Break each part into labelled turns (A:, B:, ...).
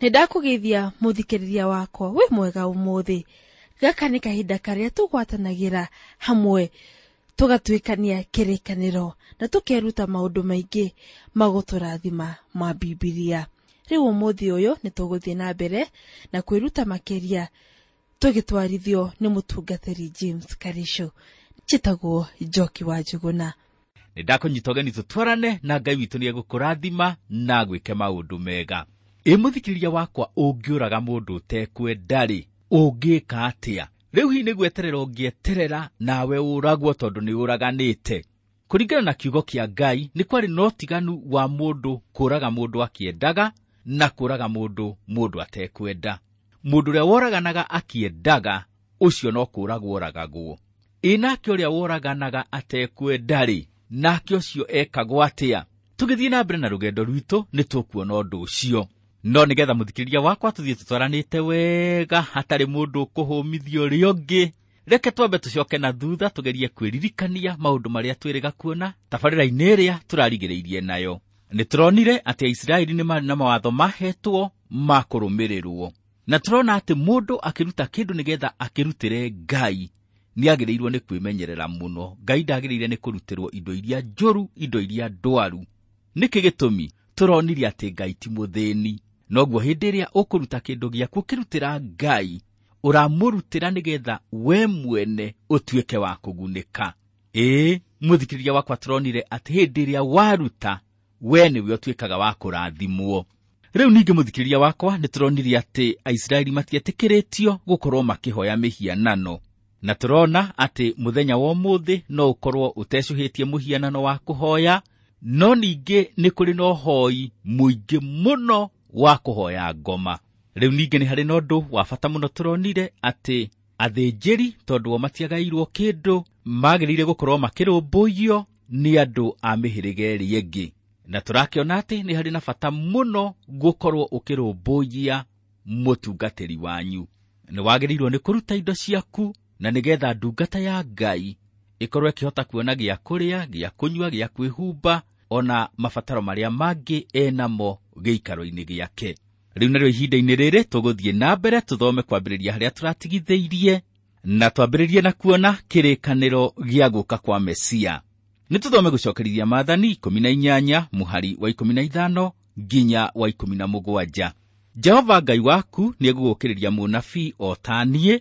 A: Nĩ ndakũgeithia mũthikĩrĩria wakwa wĩ mwega ũmũthĩ. Gaka nĩ kahinda karĩa tũgwatanagĩra hamwe tũgatuĩkania kĩrĩkanĩro na tũkeruta maũndũ maingĩ magũtũrathima ma Bibilia. Rĩu ũmũthĩ ũyũ nĩ tũgũthiĩ na mbere na kwĩruta makĩria tũgĩtwarithio nĩ mũtungatĩri James Karisho. Njĩtagwo Njoki wa Njũgũna.
B: Nĩ ndakũnyita ũgeni tũtwarane na Ngai witũ nĩ egũkũrathima na agwĩke maũndũ mega. Ĩ mũthikĩrĩria wakwa, ũngĩũraga mũndũ ũtekwenda-rĩ, ũngĩka atĩa? Rĩu hihi nĩ gweterera ũngĩeterera nawe ũragwo tondũ nĩ ũraganĩte? Kũringana na kiugo kĩa Ngai, nĩ kwarĩ na ũtiganu wa mũndũ kũraga mũndũ akĩendaga na kũraga mũndũ mũndũ atekwenda. Mũndũ ũrĩa woraganaga akĩendaga, ũcio no kũragwo oragagwo. Ĩ nake ũrĩa woraganaga atekwenda-rĩ, nake ũcio ekagwo atĩa? Tũgĩthiĩ na mbere na rũgendo rwitũ nĩ tũkuona ũndũ ũcio. No nĩgetha mũthikĩrĩria wakwa tũthiĩ tũtwaranĩte wega hatarĩ mũndũ ũkũhũmithia ũrĩa ũngĩ, reke twambe tũcoke na thutha tũgerie kwĩririkania maũndũ marĩa twĩrĩga kuona tabarĩra-inĩ ĩrĩa tũrarigĩrĩirie nayo. Nĩ tũronire atĩ Aisiraeli nĩ marĩ na mawatho mahetwo ma kũrũmĩrĩrwo, na tũrona atĩ mũndũ akĩruta kĩndũ nĩgetha akĩrutĩre Ngai nĩagĩrĩirwo nĩ kwĩmenyerera mũno. Ngai ndagĩrĩire nĩ kũrutĩrwo indo iria njũru, indo iria ndwaru. Nĩkĩ gĩtũmi? Tũronire atĩ Ngai ti mũthĩni. Noguo hĩndĩ ĩrĩa ũkũruta kĩndũ gĩaku ũkĩrutĩra Ngai, ũramũrutĩra nĩgetha we mwene ũtuĩke wa kũgunĩka. Ĩĩ, mũthikĩrĩria wakwa, tũronire atĩ hĩndĩ ĩrĩa waruta, we nĩwe ũtuĩkaga wa kũrathimwo. Rĩu ningĩ mũthikĩrĩria wakwa, nĩ tũronire atĩ Aisiraeli matietĩkĩrĩtio gũkorwo makĩhoya mĩhianano. Na tũrona atĩ mũthenya wa ũmũthĩ no ũkorwo ũtecũhĩtie mũhianano wa kũhoya, no ningĩ nĩ kũrĩ na ũhoi mũingĩ mũno wa kũhoya ngoma. Rĩu ningĩ nĩ harĩ na ũndũ wa bata mũno tũronire atĩ athĩnjĩri, tondũ o matiagairwo kĩndũ, magĩrĩire gũkorwo makĩrũmbũiyo nĩ andũ a mĩhĩrĩga ĩrĩa ĩngĩ. Na tũrakĩona atĩ nĩ harĩ na bata mũno gũkorwo ũkĩrũmbũiya mũtungatĩri wanyu. Nĩ wagĩrĩirwo nĩ kũruta indo ciaku na nĩgetha ndungata ya Ngai ĩkorwo ĩkĩhota kuona gĩa kũrĩa, gĩa kũnyua, gĩa kwĩhumba, ona mabataro marĩa mangĩ enamo gĩikaro-inĩ gĩake. Rĩu narĩo ihinda-inĩ rĩrĩ tũgũthiĩ na mbere tũthome kwambĩrĩria harĩa tũratigithĩirie, na twambĩrĩrie na kuona kĩrĩkanĩro gĩa gũka kwa Mesia. Nĩ tũthome gũcokerithia Maathani 18 mũhari wa 15 nginya wa 17. Jehova Ngai waku nĩegũgũũkĩrĩria mũnabii o ta niĩ,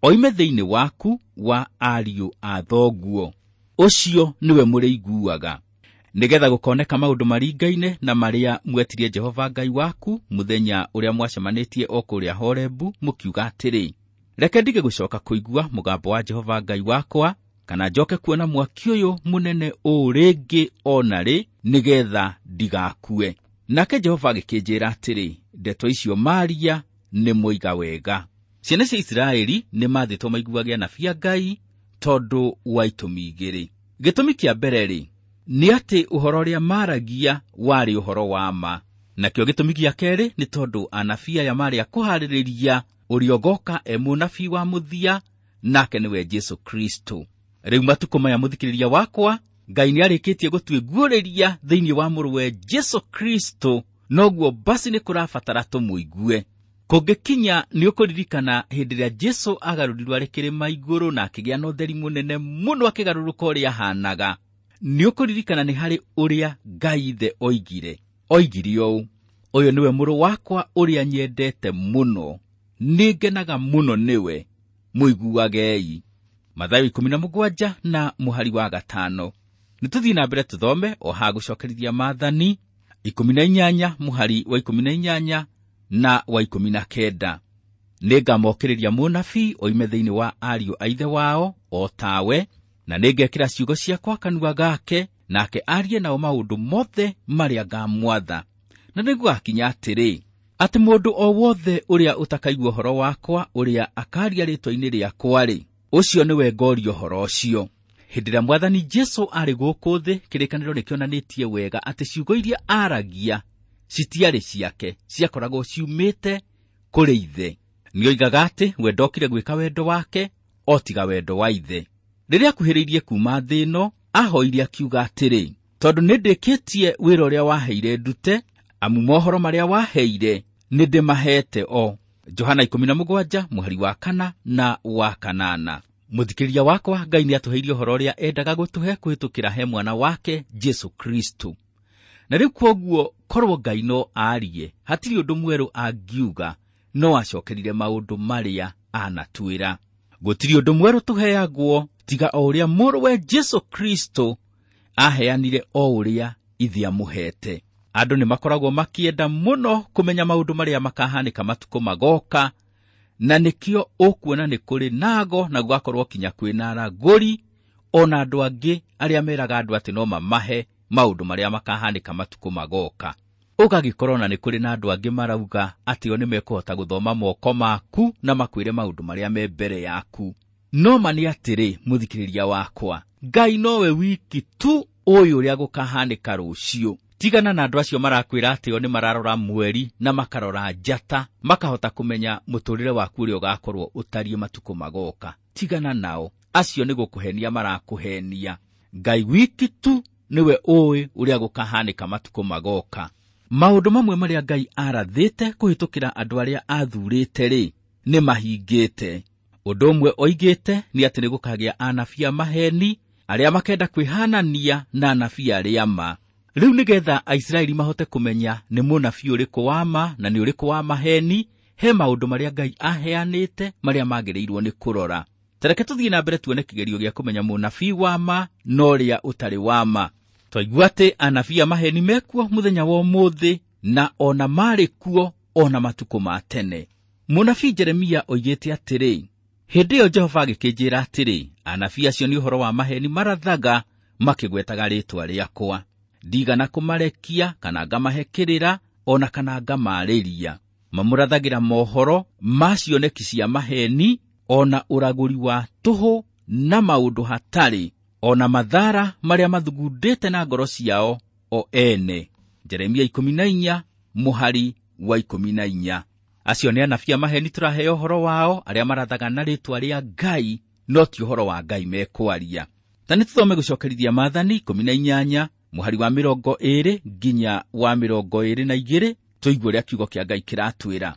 B: oime thĩinĩ waku wa ariũ a thoguo. Ũcio nĩwe mũrĩiguaga, nĩgetha gũkoneka maũndũ maringaine na marĩa mwetirie Jehova Ngai waku mũthenya ũrĩa mwacemanĩtie o kũrĩa Horebu, mũkiuga atĩrĩ, reke ndige gũcoka kũigua mũgambo wa Jehova Ngai wakwa, kana njoke kuona mwaki ũyũ mũnene ũũ rĩngĩ o na rĩ, nĩgetha ndigakue. Nake Jehova agĩkĩnjĩra atĩrĩ, ndeto icio maaria nĩ moiga wega. Ciana cia Isiraeli nĩ maathĩtwo maiguage anabii a Ngai tondũ wa itũmi igĩrĩ. Gĩtũmi kĩa mbere rĩ, nĩ atĩ ũhoro ũrĩa maaragia warĩ ũhoro wa ma. Nakĩo gĩtũmi gĩa kerĩ nĩ tondũ anabii aya maarĩ a kũharĩrĩria ũrĩa ũgoka e mũnabii wa mũthia, nake nĩwe Jesũ Kristo. Rĩu matukũ maya mũthikĩrĩria wakwa, Ngai nĩarĩkĩtie gũtuĩguũrĩria thĩinĩ wa mũrũwe Jesũ Kristo, noguo basi nĩ kũrabatara tũmũigue. Kũngĩkinya nĩ ũkũririkana hĩndĩ ĩrĩa Jesũ agarũrirwo arĩ kĩrĩma igũrũ na akĩgĩa na ũtheri mũnene mũno akĩgarũrũka ũrĩa ahanaga. Nĩ ũkũririkana nĩ harĩ ũrĩa Ngai Ithe oigire. Oigire ũũ, ũyũ nĩwe mũrũ wakwa ũrĩa nyendete mũno, nĩngenaga mũno nĩwe, mũiguagei. Mathayo 17 na mũhari wa 5. Nĩ tũthiĩ na mbere tũthome o haha gũcokerithia Maathani 18 mũhari wa 18 na wa 19. Nĩngamokĩrĩria mũnabii oime thĩinĩ wa ariũ a ithe wao o tawe, na nĩngekĩra ciugo ciakwa kanua gake, nake arie nao maũndũ mothe marĩa ngamwatha. Na nĩgũgakinya atĩrĩ, atĩ mũndũ o wothe ũrĩa ũtakaigua ũhoro wakwa ũrĩa akaria rĩĩtwa-inĩ rĩakwa-rĩ, ũcio nĩwe ngoria ũhoro ũcio. Hĩndĩ ĩrĩa Mwathani Jesũ arĩ gũkũ thĩ, kĩrĩkanĩro nĩkĩonanĩtie wega atĩ ciugo iria aragia citiarĩ ciake, ciakoragwo ciumĩte kũrĩ Ithe. Nĩoigaga atĩ we ndokire gwĩka wendo wake, o tiga wendo wa Ithe. Rĩrĩa akuhĩrĩirie kuuma thĩ ĩno, ahoire akiuga atĩrĩ, tondũ nĩndĩkĩtie wĩra ũrĩa waheire ndute, amu mohoro marĩa waheire nĩ ndĩmaheete o. Johana 17 mũhari wa 4 na wa 8. Mũthikĩrĩria wakwa, Ngai nĩ atũheire ũhoro ũrĩa endaga gũtũhe kũhĩtũkĩra he mwana wake Jesu Kristo. Na rĩu kwoguo korwo Ngai no aarie, hatirĩ ũndũ mwerũ angiuga, no acokerire maũndũ marĩa anatwĩra. Gũtirĩ ũndũ mwerũ tũheagwo tiga o ũrĩa mũrũwe Jesu Kristo aheanire o ũrĩa ithe amũhete. Andũ nĩ makoragwo makĩenda mũno kũmenya maũndũ marĩa makahanĩka matukũ magoka, na nĩkĩo ũkuona nĩ kũrĩ nago na gũgakorwo kinya kwĩna aragũri ona andũ angĩ arĩa meraga andũ atĩ no mamahe maũndũ marĩa makahanĩka matukũ magoka. Ũgagĩkorwo na nĩ kũrĩ na andũ angĩ marauga atĩ o nĩ mekũhota gũthoma moko maku na makwĩre maũndũ marĩa me mbere yaku. No ma nĩ atĩrĩ, mũthikĩrĩria wakwa, Ngai nowe wiki tu ũyũ ũrĩa gũkahanĩka rũciũ. Tigana na andũ acio marakwĩra atĩ o nĩ mararora mweri na makarora njata, makahota kũmenya mũtũrĩre waku ũrĩa ũgakorwo ũtariĩ matukũ magoka. Tigana nao, acio nĩ gũkũhenia marakũhenia. Ngai wiki tu nĩwe ũĩ ũrĩa gũkahanĩka matukũ magoka. Maũndũ mamwe marĩa Ngai arathĩte kũhĩtũkĩra andũ arĩa athurĩte rĩ, nĩ mahingĩte. Ũndũ ũmwe oigĩte nĩ atĩ nĩ gũkagĩa anabii a maheni arĩa makenda kwĩhanania na anabii arĩa ma. Rĩu nĩgetha Aisiraeli mahote kũmenya nĩ mũnabii ũrĩkũ wa ma na nĩ ũrĩkũ wa maheni, he maũndũ marĩa Ngai aheanĩte marĩa magĩrĩirwo nĩ kũrora. Tareke tũthiĩ na mbere tuone kĩgerio gĩa kũmenya mũnabii wa ma na ũrĩa ũtarĩ wa ma. Twaigua atĩ anabii a maheni mekuo mũthenya wa ũmũthĩ na ona marĩ kuo ona matukũ ma tene. Mũnabii Jeremia oigĩte atĩrĩ, hĩndĩ ĩyo Jehova agĩkĩnjĩra atĩrĩ, anabii acio nĩ ũhoro wa maheni marathaga makĩgwetaga rĩĩtwa rĩakwa. Ndigana kũmarekia kana ngamahe kĩrĩra ona kana ngamaarĩria. Mamũrathagĩra mohoro ma cioneki cia maheni ona ũragũri wa tũhũ na maũndũ hatarĩ, ona mathara marĩa mathugundĩte na ngoro ciao o ene. Jeremia 14 mũhari wa 14. Acio nĩ anabii a maheni tũraheo ũhoro wao arĩa marathaga na rĩĩtwa rĩa Ngai, no ti ũhoro wa Ngai mekwaria. Ta nĩ tũthome gũcokerithia Maathani 18 mũhari wa 20 nginya wa 22 tũigue ũrĩa kiugo kĩa Ngai kĩratwĩra.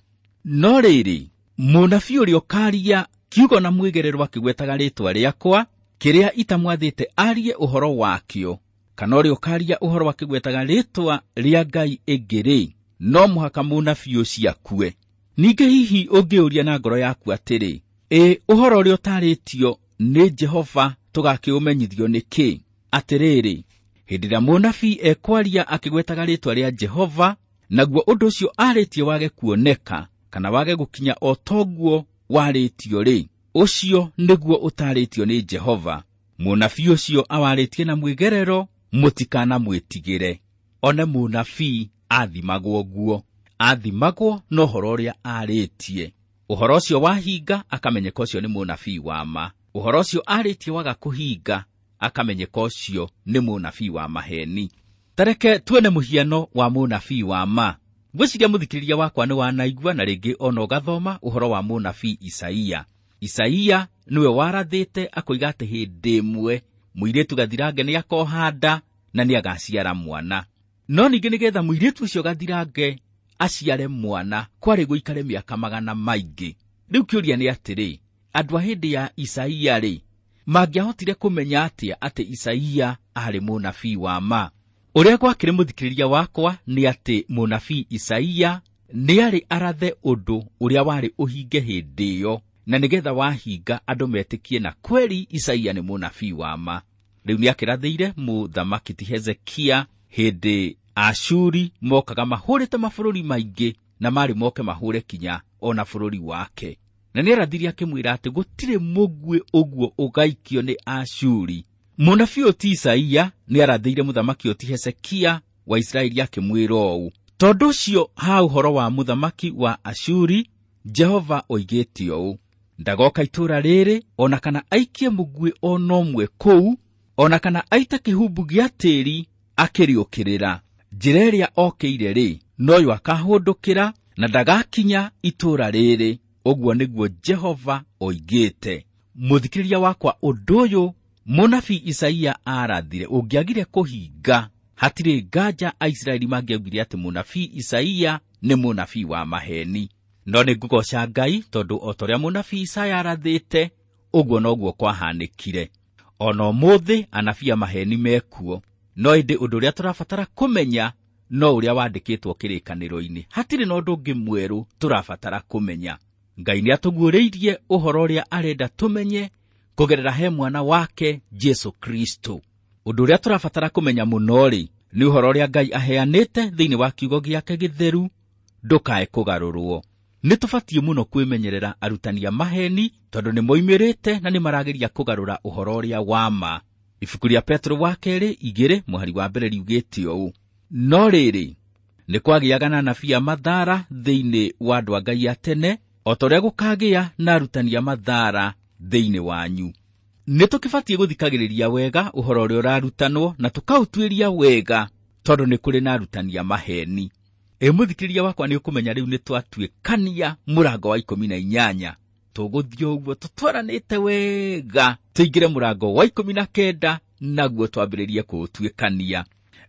B: No rĩrĩ, mũnabii ũrĩa ũkaaria kiugo na mwĩgerero akĩgwetaga rĩĩtwa rĩakwa, kĩrĩa itamwathĩte arie ũhoro wakĩo, kana ũrĩa ũkaaria ũhoro akĩgwetaga rĩĩtwa rĩa Ngai ĩngĩ-rĩ, no mũhaka mũnabii ũcio akue. Ningĩ hihi ũngĩũria na ngoro yaku atĩrĩ, ĩ ũhoro ũrĩa ũtarĩtio nĩ Jehova tũgakĩũmenyithio nĩkĩ? Atĩrĩrĩ, hĩndĩ ĩrĩa mũnabii ekwaria akĩgwetaga rĩĩtwa rĩa Jehova, naguo ũndũ ũcio arĩtie wage kuoneka kana wage gũkinya o toguo warĩtio rĩ, ũcio nĩguo ũtarĩtio nĩ Jehova. Mũnabii ũcio awarĩtie na mwĩgerero, mũtikanamwĩtigĩre. One mũnabii athimagwo guo, athimagwo na ũhoro ũrĩa arĩtie. Ũhoro ũcio wahinga akamenyeka ũcio nĩ mũnabii wa ma. Ũhoro ũcio arĩtie waga kũhinga akamenyeka ũcio nĩ mũnabii wa maheni. Tareke tuone mũhiano wa mũnabii wa ma. Ngwĩciria mũthikĩrĩria wakwa nĩ wanaigua na rĩngĩ ona ũgathoma ũhoro wa mũnabii Isaia. Isaia nĩwe warathĩte akoiga atĩ hĩndĩ ĩmwe mũirĩtu gathirange nĩ akoha nda na nĩ agaciara mwana. No ningĩ nĩgetha mũirĩtu ũcio gathirange aciare mwana kwarĩ gũikare mĩaka magana maingĩ. Rĩu kĩũria nĩ atĩrĩ, andũ a hĩndĩ ya Isaia rĩ, mangĩahotire kũmenya atĩa atĩ Isaia aarĩ mũnabii wa ma? Ũrĩa gwakĩrĩ mũthikĩrĩria wakwa nĩ atĩ mũnabii Isaia nĩ arĩ arathe ũndũ ũrĩa warĩ ũhinge hĩndĩ ĩyo, na nĩgetha wahinga andũ metĩkie na kweri Isaia nĩ mũnabii wa ma. Rĩu nĩakĩrathĩire mũthamaki ti Hezekia hĩndĩ Ashuri mokaga mahũrĩte mabũrũri maingĩ na marĩ moke mahũre kinya ona bũrũri wake. Na nĩarathire akĩmwĩra atĩ gũtirĩ mũguĩ ũguo ũgaikio nĩ Ashuri. Mũnabii ũyũ ti Isaia nĩarathĩire mũthamaki ũyũ ti Hezekia wa Isiraeli akĩmwĩra ũũ, tondũ ũcio ha ũhoro wa mũthamaki wa Ashuri, Jehova oigĩte ũũ, ndagoka itũũra rĩrĩ ona kana aikie mũguĩ ona ũmwe kũu, ona kana aite kĩhumbu gĩa tĩĩri akĩrĩũkĩrĩra. Njĩra ĩrĩa okĩire rĩ, noyo akahũndũkĩra na ndagakinya itũũra rĩrĩ. Ũguo nĩguo Jehova oigĩte. Mũthikĩrĩria wakwa, ũndũ ũyũ mũnabii Isaia arathire ũngĩagire kũhinga, Hatirĩ nganja Aisiraeli mangĩaugire atĩ mũnabii Isaia nĩ mũnabii wa maheni. No nĩ ngũgoca Ngai tondũ o ta ũrĩa mũnabii Isaia arathĩte, ũguo noguo kwahanĩkire. Ona ũmũthĩ anabii a maheni mekuo, no ĩndĩ ũndũ ũrĩa tũrabatara kũmenya no ũrĩa wandĩkĩtwo kĩrĩkanĩro-inĩ. Hatirĩ na ũndũ ũngĩ mwerũ tũrabatara kũmenya. Ngai nĩatũguũrĩirie ũhoro ũrĩa arenda tũmenye kũgerera he mwana wake Jesu Kristo. Ũndũ ũrĩa tũrabatara kũmenya mũno-rĩ, nĩ ũhoro ũrĩa Ngai aheanĩte thĩinĩ wa kiugo gĩake gĩtheru, ndũkae kũgarũrwo. Nĩ tũbatiĩ mũno kwĩmenyerera arutani a maheni tondũ nĩ moimĩrĩte na nĩ marageria kũgarũra ũhoro ũrĩa wa ma. Ibuku rĩa Petro wa kerĩ 2 mũhari wa mbere riugĩte ũũ: no rĩrĩ, nĩ kwagĩaga na anabii a mathara thĩinĩ wa andũ a Ngai a tene, o ta ũrĩa gũkagĩa na arutani a mathara thĩinĩ wanyu. Nĩ tũkĩbatiĩ gũthikagĩrĩria wega ũhoro ũrĩa ũrarutanwo na tũkaũtuĩria wega tondũ nĩ kũrĩ na arutani a maheni. Ĩ mũthikĩrĩria wakwa, nĩ ũkũmenya rĩu nĩ twatuĩkania mũrango wa 18. Tũgũthiĩ ũguo tũtwaranĩte wega tũingĩre mũrango wa 19 naguo twambĩrĩrie kũũtuĩkania.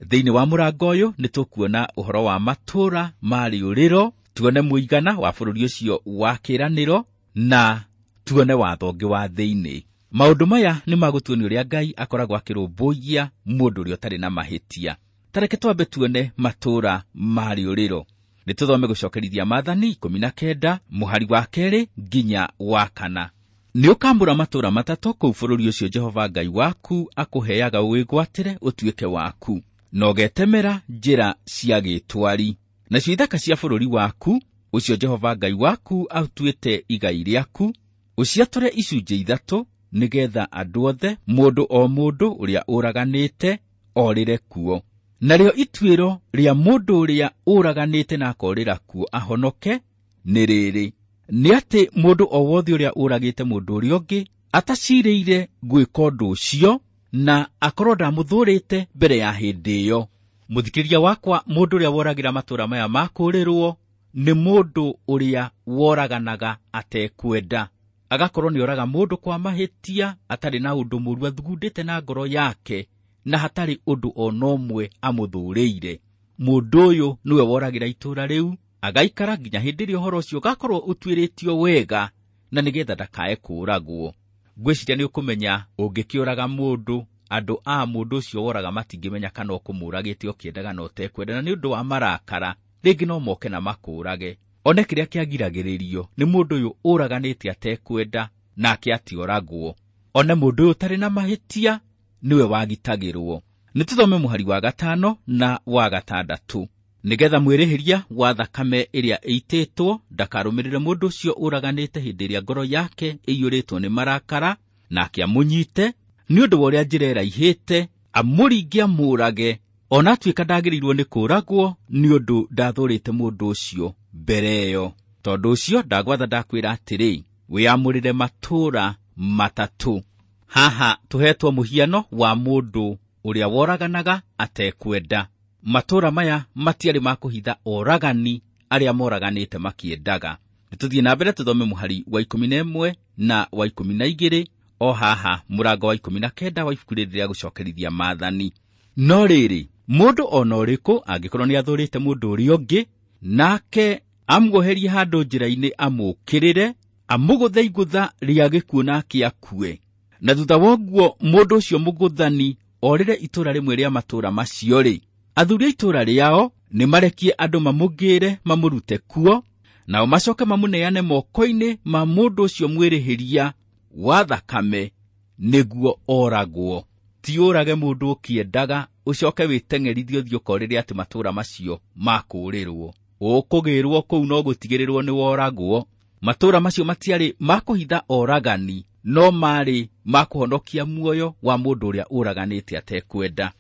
B: Thĩinĩ wa mũrango ũyũ nĩ tũkuona ũhoro wa matũũra ma rĩũrĩro, tuone mũigana wa bũrũri ũcio wa kĩĩranĩro na tuone watho ũngĩ wa thĩinĩ. Maũndũ maya nĩ magũtuonia ũrĩa Ngai akoragwo akĩrũmbũiya mũndũ ũrĩa ũtarĩ na mahĩtia. Ta reke twambe tuone matũũra ma rĩũrĩro. Nĩ tũthome gũcokerithia Maathani 19 mũhari wa 2 nginya wa 4. Nĩ ũkamũra matũũra matatũ kũu bũrũri ũcio Jehova Ngai waku akũheaga ũwĩgwatĩre ũtuĩke waku, na ũgetemera njĩra cia gĩtwari. Nacio ithaka cia bũrũri waku ũcio Jehova Ngai waku aũtuĩte igai rĩaku, ũciatũre icunjĩ 3 nĩgetha andũ othe, mũndũ o mũndũ ũrĩa ũraganĩte orĩre kuo. Narĩo ituĩro rĩa mũndũ ũrĩa ũraganĩte na akorĩra kuo ahonoke nĩ rĩrĩ: nĩ atĩ mũndũ o wothe ũrĩa ũragĩte mũndũ ũrĩa ũngĩ atacirĩire gwĩka ũndũ ũcio na akorwo ndamũthũrĩte mbere ya hĩndĩ ĩyo. Mũthikĩrĩria wakwa, mũndũ ũrĩa woragĩra matũũra maya ma kũũrĩrwo nĩ mũndũ ũrĩa woraganaga atekwenda, agakorwo nĩ oraga mũndũ kwa mahĩtia atarĩ na ũndũ mũũru athugundĩte na ngoro yake na hatarĩ ũndũ ona ũmwe amũthũrĩire. Mũndũ ũyũ nĩwe woragĩra itũũra rĩu, agaikara nginya hĩndĩ ĩrĩa ũhoro ũcio ũgakorwo ũtuĩrĩtio wega na nĩgetha ndakae kũũragwo. Ngwĩciria nĩ ũkũmenya ũngĩkĩũraga mũndũ, andũ a mũndũ ũcio woraga matingĩmenya kana ũkũmũragĩte ũkĩendaga na ũtekwenda, na nĩ ũndũ wa marakara rĩngĩ no moke na makũũrage. One kĩrĩa kĩagiragĩrĩrio nĩ mũndũ ũyũ ũraganĩte atekwenda nake atioragwo. One mũndũ ũyũ ũtarĩ na mahĩtia nĩwe wagitagĩrwo. Nĩ tũthome mũhari wa 5 na wa 6. Nĩgetha mwĩrĩhĩria wa thakame ĩrĩa ĩitĩtwo ndakarũmĩrĩre mũndũ ũcio ũraganĩte hĩndĩ ĩrĩa ngoro yake ĩiyũrĩtwo nĩ marakara, nake amũnyite nĩ ũndũ wa ũrĩa njĩra ĩraihĩte, amũringe amũũrage, ona atuĩka ndagĩrĩirwo nĩ kũũragwo nĩ ũndũ ndathũrĩte mũndũ ũcio mbere ĩyo. Tondũ ũcio ndagwatha ndakwĩra atĩrĩ, wĩamũrĩre matũũra matatũ. Haha tũhetwo mũhiano wa mũndũ ũrĩa woraganaga atekwenda. Matũũra maya matiarĩ ma kũhitha oragani arĩa moraganĩte makĩendaga. Nĩ tũthiĩ na mbere tũthome mũhari wa 11 na wa 12 o haha mũrango wa 19 wa ibuku rĩrĩ rĩa gũcokerithia Maathani. No rĩrĩ, mũndũ ona ũrĩkũ angĩkorwo nĩ athũrĩte mũndũ ũrĩa ũngĩ, nake amwoherie handũ njĩra-inĩ amũũkĩrĩre, amũgũthe igũtha rĩa gĩkuũ nake akue, na thutha wa ũguo mũndũ ũcio mũgũthani orĩre itũũra rĩmwe rĩa matũũra macio-rĩ, athuri a itũũra rĩao nĩ marekie andũ mamũgĩre mamũrute kuo, nao macoke mamũneane moko-inĩ ma mũndũ ũcio mwĩrĩhĩria wa thakame nĩguo oragwo. Ti ũrage mũndũ ũkĩendaga ũcoke wĩteng'erithie ũthiĩ ũkorĩre atĩ matũũra macio makũũrĩrwo. Ũkũgĩrwo kũu no gũtigĩrĩrwo nĩ woragwo. Matũũra macio matiarĩ ma kũhitha oragani, no marĩ ma kũhonokia muoyo wa mũndũ ũrĩa ũraganĩte atekwenda.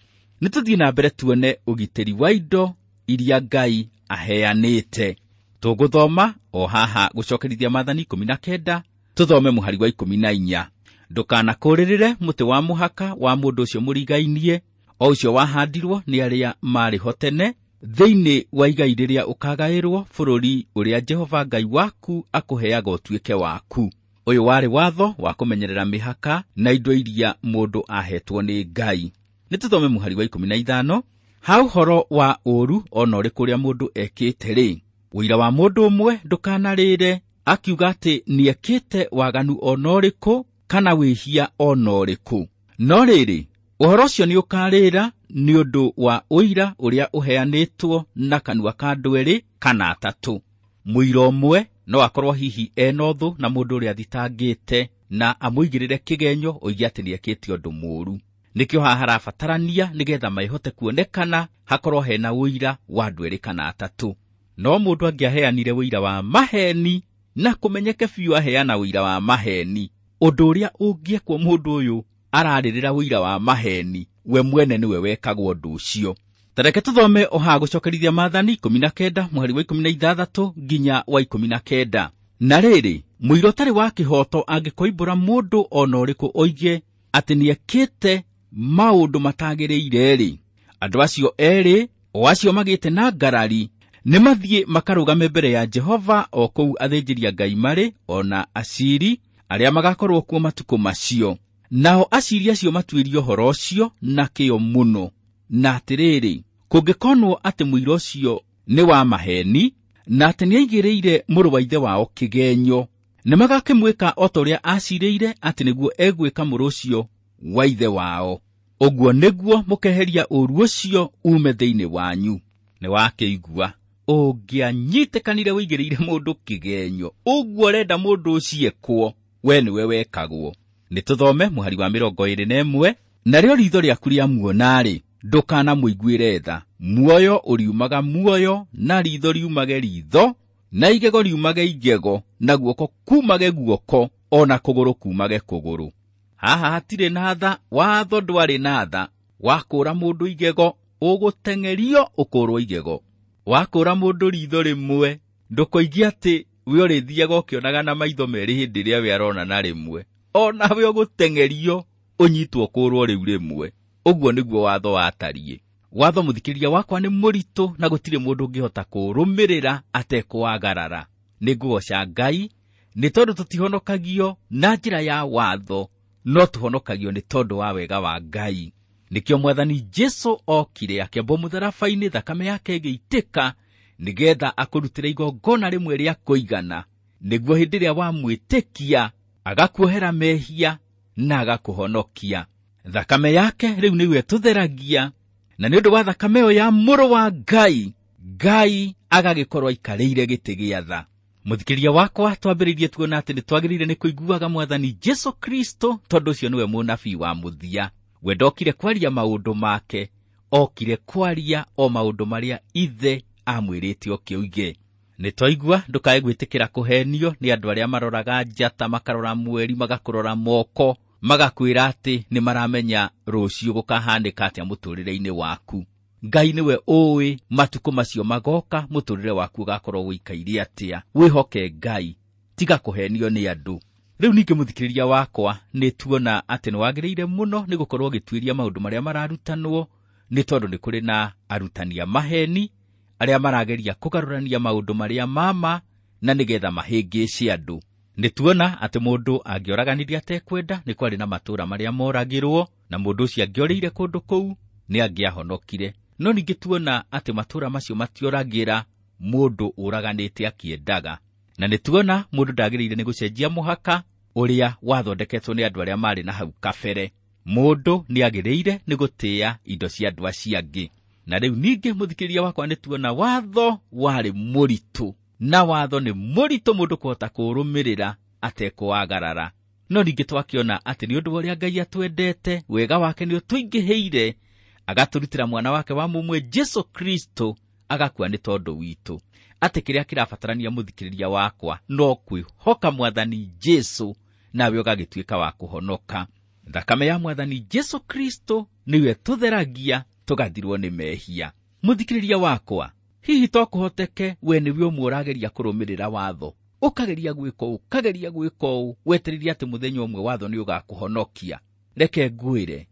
B: Nĩ tũthiĩ na mbere tuone ũgitĩri wa indo iria Ngai aheanĩte. Tũgũthoma o haha gũcokerithia Maathani 19, tũthome mũhari wa 14. Ndũkanakũũrĩrĩre mũtĩ wa mũhaka wa mũndũ ũcio mũrigainie, o ũcio wahandirwo nĩ arĩa maarĩ ho tene, thĩinĩ wa igai rĩrĩa ũkagaĩrwo bũrũri ũrĩa Jehova Ngai waku akũheaga ũtuĩke waku. Ũyũ warĩ watho wa kũmenyerera mĩhaka na indo iria mũndũ ahetwo nĩ Ngai. Nĩ tũthome mũhari wa 15. Ha ũhoro wa ũũru ona ũrĩkũ ũrĩa mũndũ ekĩte rĩ, ũira wa mũndũ ũmwe ndũkanarĩre akiuga atĩ nĩekĩte waganu ona ũrĩkũ kana wĩhia ona ũrĩkũ. No rĩrĩ, ũhoro ũcio nĩũkarĩra nĩ ũndũ wa ũira ũrĩa ũheanĩtwo na kanua ka andũ erĩ kana atatũ. Mũira ũmwe no akorwo hihi ena ũthũ na mũndũ ũrĩa athitangĩte na amũigĩrĩre kĩgenyo oige atĩ nĩekĩte ũndũ mũũru. Nĩkĩo haha harabatarania nĩgetha maĩhote kuonekana hakorwo hena ũira wa andũ erĩ kana atatũ. No mũndũ angĩaheanire ũira wa maheni na kũmenyeke biũ aheana ũira wa maheni, ũndũ ũrĩa ũngĩekwo mũndũ ũyũ ararĩrĩra ũira wa maheni, we mwene nĩwe wekagwo ũndũ ũcio. Tareke tũthome o haha gũcokerithia Maathani 19 mũhari wa 16 nginya wa 19. Na rĩrĩ, mũira ũtarĩ wa kĩhooto angĩkoimbũra mũndũ ona ũrĩkũ oige atĩ nĩekĩte maũndũ matagĩrĩire-rĩ, andũ acio erĩ o acio magĩte na ngarari nĩmathiĩ makarũgame mbere ya Jehova o kũu athĩnjĩri Ngai marĩ ona aciri arĩa magakorwo kuo matukũ macio. Nao aciri acio matuĩrie ũhoro ũcio na kĩyo mũno. Na atĩrĩrĩ, kũngĩkonwo atĩ mũira ũcio nĩ wa maheni na atĩ nĩaigĩrĩire mũrũ wa ithe wao kĩgenyo, nĩmagakĩmwĩka o ta ũrĩa acirĩire atĩ nĩguo egwĩka mũrũ ũcio wa ithe wao. Ũguo nĩguo mũkeheria ũũru ũcio ume thĩinĩ wanyu. Nĩwakĩigua, ũngĩanyitĩkanire ũigĩrĩire mũndũ kĩgenyo, ũguo ũrenda mũndũ ũcio ekwo, we nĩwe wekagwo. Nĩtũthome mũhari wa 21. Narĩo riitho rĩaku rĩamuona-rĩ, ndũkanamũiguĩre tha. Muoyo ũriumaga muoyo, na riitho riumage riitho, na igego riumage igego, na guoko kumage guoko, ona kũgũrũ kumage kũgũrũ. Haha hatirĩ na tha, watho ndwarĩ na tha. Wakũra mũndũ igego, ũgũteng'erio ũkũrwo igego. Wakũra mũndũ riitho rĩmwe, ndũkoigie atĩ we ũrĩthiaga ũkĩonaga na maitho merĩ hĩndĩ ĩrĩa we arona na rĩmwe. Ona we ũgũteng'erio ũnyitwo ũkũrwo rĩu rĩmwe. Ũguo nĩguo watho watariĩ. Watho mũthikĩrĩria wakwa nĩ mũritũ na gũtirĩ mũndũ ũngĩhota kũũrũmĩrĩra atekũwagarara. Nĩngũgoca Ngai nĩ tondũ tũtihonokagio na njĩra ya watho, no tũhonokagio nĩ tondũ wa wega wa Ngai. Nĩkĩo Mwathani Jesũ okire akĩambwo mũtharaba-inĩ, thakame yake ĩgĩitĩka nĩgetha akũrutĩre igongona rĩmwe rĩa kũigana, nĩguo hĩndĩ ĩrĩa wamwĩtĩkia agakuohera mehia na agakũhonokia. Thakame yake rĩu nĩyo ĩtũtheragia, na nĩ ũndũ wa thakame ĩyo ya mũrũ wa Ngai, Ngai agagĩkorwo aikarĩire gĩtĩ gĩa tha. Mũthikĩrĩria wakwa, twambĩrĩirie tuona atĩ nĩtwagĩrĩire nĩ kũiguaga Mwathani Jesũ Kristo, tondũ ũcio nĩwe mũnabii wa mũthia. We ndokire kwaria maũndũ make, okire kwaria o maũndũ marĩa Ithe amwĩrĩte oke oige. Nĩtwaigua ndũkae gwĩtĩkĩra kũhenio nĩ andũ arĩa maroraga njata, makarora mweri, magakũrora moko, magakwĩra atĩ nĩmaramenya rũciũ gũkahanĩka atĩa mũtũrĩre-inĩ waku. Ngai nĩwe ũĩ matukũ macio magoka, mũtũrĩre waku ũgakorwo ũikaire atĩa. Wĩhoke Ngai, tiga kũhenio nĩ andũ. Rĩu ningĩ mũthikĩrĩria wakwa, nĩtuona atĩ nĩwagĩrĩire mũno nĩ gũkorwo ũgĩtuĩria maũndũ marĩa mararutanwo, nĩ tondũ nĩ kũrĩ na arutani a maheni arĩa marageria kũgarũrania maũndũ marĩa mama na nĩgetha mahĩngĩce andũ. Nĩtuona atĩ mũndũ angĩoraganirie atekwenda, nĩ kwarĩ na matũũra marĩa moragĩrwo, na mũndũ ũcio angĩorĩire kũndũ kũu nĩ angĩahonokire. No ningĩ tuona atĩ matũũra macio matioragĩra mũndũ ũraganĩte akĩendaga. Na nĩtuona mũndũ ndagĩrĩire nĩ gũcenjia mũhaka ũrĩa wathondeketwo nĩ andũ arĩa marĩ na hau kabere. Mũndũ nĩagĩrĩire nĩ gũtĩĩa indo cia andũ acio angĩ. Na rĩu ningĩ mũthikĩrĩria wakwa, nĩtuona watho warĩ mũritũ, na watho nĩ mũritũ mũndũ kũhota kũũrũmĩrĩra atekũwagarara. No ningĩ twakĩona atĩ nĩ ũndũ wa ũrĩa Ngai atwendete, wega wake nĩ ũtũingĩhĩire, agatũrutĩra mwana wake wa mũmwe Jesũ Kristo, agakua nĩ tondũ witũ. Atĩ kĩrĩa kĩrabatarania mũthikĩrĩria wakwa no kwĩhoka Mwathani Jesũ, nawe ũgagĩtuĩka wa kũhonoka. Thakame ya Mwathani Jesũ Kristo nĩyo ĩtũtheragia tũgathirwo nĩ mehia. Mũthikĩrĩria wakwa, hihi to kũhoteke we nĩwe ũmwe ũrageria kũrũmĩrĩra watho, ũkageria gwĩka ũũ, ũkageria gwĩka ũũ, wetereire atĩ mũthenya ũmwe watho nĩ ũgakũhonokia. Reke ngwĩre,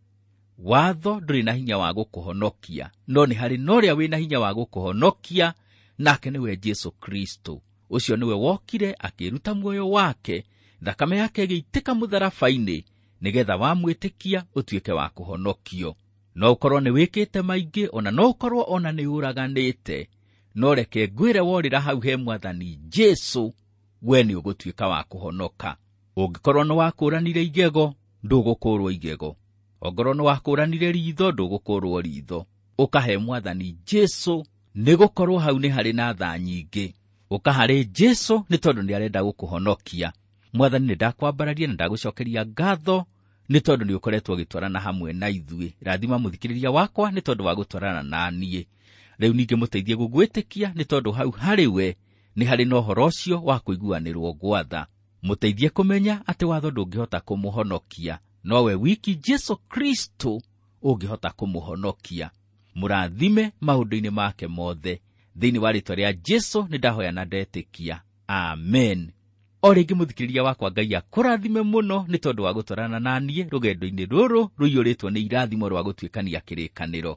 B: watho ndũrĩ na hinya wa gũkũhonokia, no nĩ harĩ na ũrĩa wĩna hinya wa gũkũhonokia, nake nĩwe Jesũ Kristo. Ũcio nĩwe wokire akĩruta muoyo wake, thakame yake ĩgĩitĩka mũtharaba-inĩ, nĩgetha wamwĩtĩkia ũtuĩke wa kũhonokio. No ũkorwo nĩ wĩkĩte maingĩ, ona no ũkorwo ona nĩ ũraganĩte, no reke ngwĩre worĩra hau he Mwathani Jesũ, we nĩ ũgũtuĩka wa kũhonoka. Ũngĩkorwo nĩ wakũranire igego, ndũgũkũrwo igego. Ongorwo nĩ wakũranire ritho, ndũgũkũrwo ritho. Ũkahe Mwathani Jesũ, nĩ gũkorwo hau nĩ harĩ na tha nyingĩ. Ũka harĩ Jesũ nĩ tondũ nĩ arenda gũkũhonokia. Mwathani, nĩ ndakwambararia na ndagũcokeria ngatho nĩ tondũ nĩ ũkoretwo ũgĩtwarana hamwe na ithuĩ. Rathima mũthikĩrĩria wakwa nĩ tondũ wa gũtwarana na niĩ. Rĩu ningĩ mũteithie gũgwĩtĩkia nĩ tondũ hau harĩ we nĩ harĩ na ũhoro ũcio wa kũiguanĩrwo gwatha. Mũteithie kũmenya atĩ watho ndũngĩhota kũmũhonokia, nowe wiki Jesũ Kristo ũngĩhota kũmũhonokia. Mũrathime maũndũ-inĩ make mothe. Thĩinĩ wa rĩĩtwa rĩa Jesũ nĩ ndahoya na ndetĩkia. Amen. O rĩngĩ mũthikĩrĩria wakwa, Ngai akũrathime mũno nĩ tondũ wa gũtwarana na niĩ rũgendo-inĩ rũrũ rũiyũrĩtwo nĩ irathimo rwa gũtuĩkania kĩrĩkanĩro.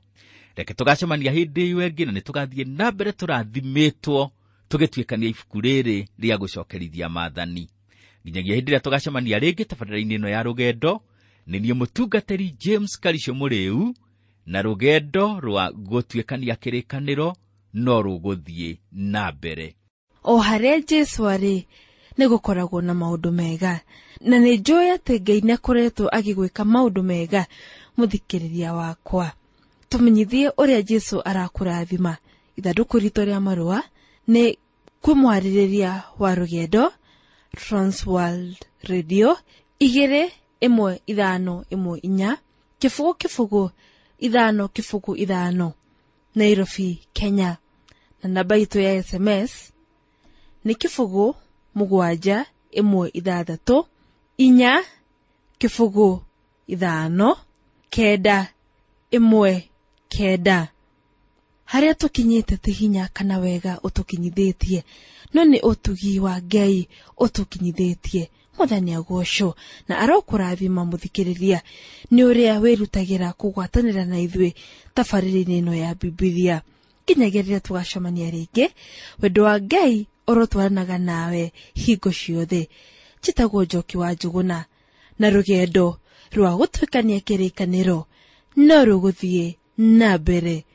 B: Reke tũgacemania hĩndĩ ĩyo ĩngĩ na nĩ tũgathiĩ na mbere tũrathimĩtwo tũgĩtuĩkania ibuku rĩrĩ rĩa gũcokerithia maathani. Nginyagia hĩndĩ ĩrĩa tũgacemania rĩngĩ tabarĩra-inĩ ĩno ya rũgendo, nĩ niĩ mũtungatĩri James Karisho Mũrĩu, na rũgendo rwa gũtuĩkania kĩrĩkanĩro no rũgũthiĩ na mbere.
A: O harĩa Jesũ arĩ nĩ gũkoragwo na maũndũ mega, na nĩ njũĩ atĩ Ngai nĩ akoretwo agĩgwĩka maũndũ mega. Mũthikĩrĩria wakwa, tũmenyithie ũrĩa Jesũ arakũrathima. Ithandũkũ ritũ rĩa marũa nĩ kwĩ mwarĩrĩria wa rũgendo, Transworld Radio 21514 0 0 5 0 5, Nairobi, Kenya. Na namba itũ ya SMS nĩ 0 7 1 6 4 0 5 9 1 9. Harĩa tũkinyĩte ti hinya kana wega ũtũkinyithĩtie, no nĩ ũtugi wa Ngai ũtũkinyithĩtie. Mwathani agocwo na arokũrathima mũthikĩrĩria nĩ ũrĩa wĩrutagĩra kũgwatanĩra na ithuĩ tabarĩra-inĩ ĩno ya Bibilia. Nginyagia rĩrĩa tũgacemania rĩngĩ, wendo wa Ngai ũrotwaranaga nawe hingo ciothe. Njĩtagwo Njoki wa Njũgũna, na rũgendo rwa gũtuĩkania kĩrĩkanĩro no rũgũthiĩ na mbere.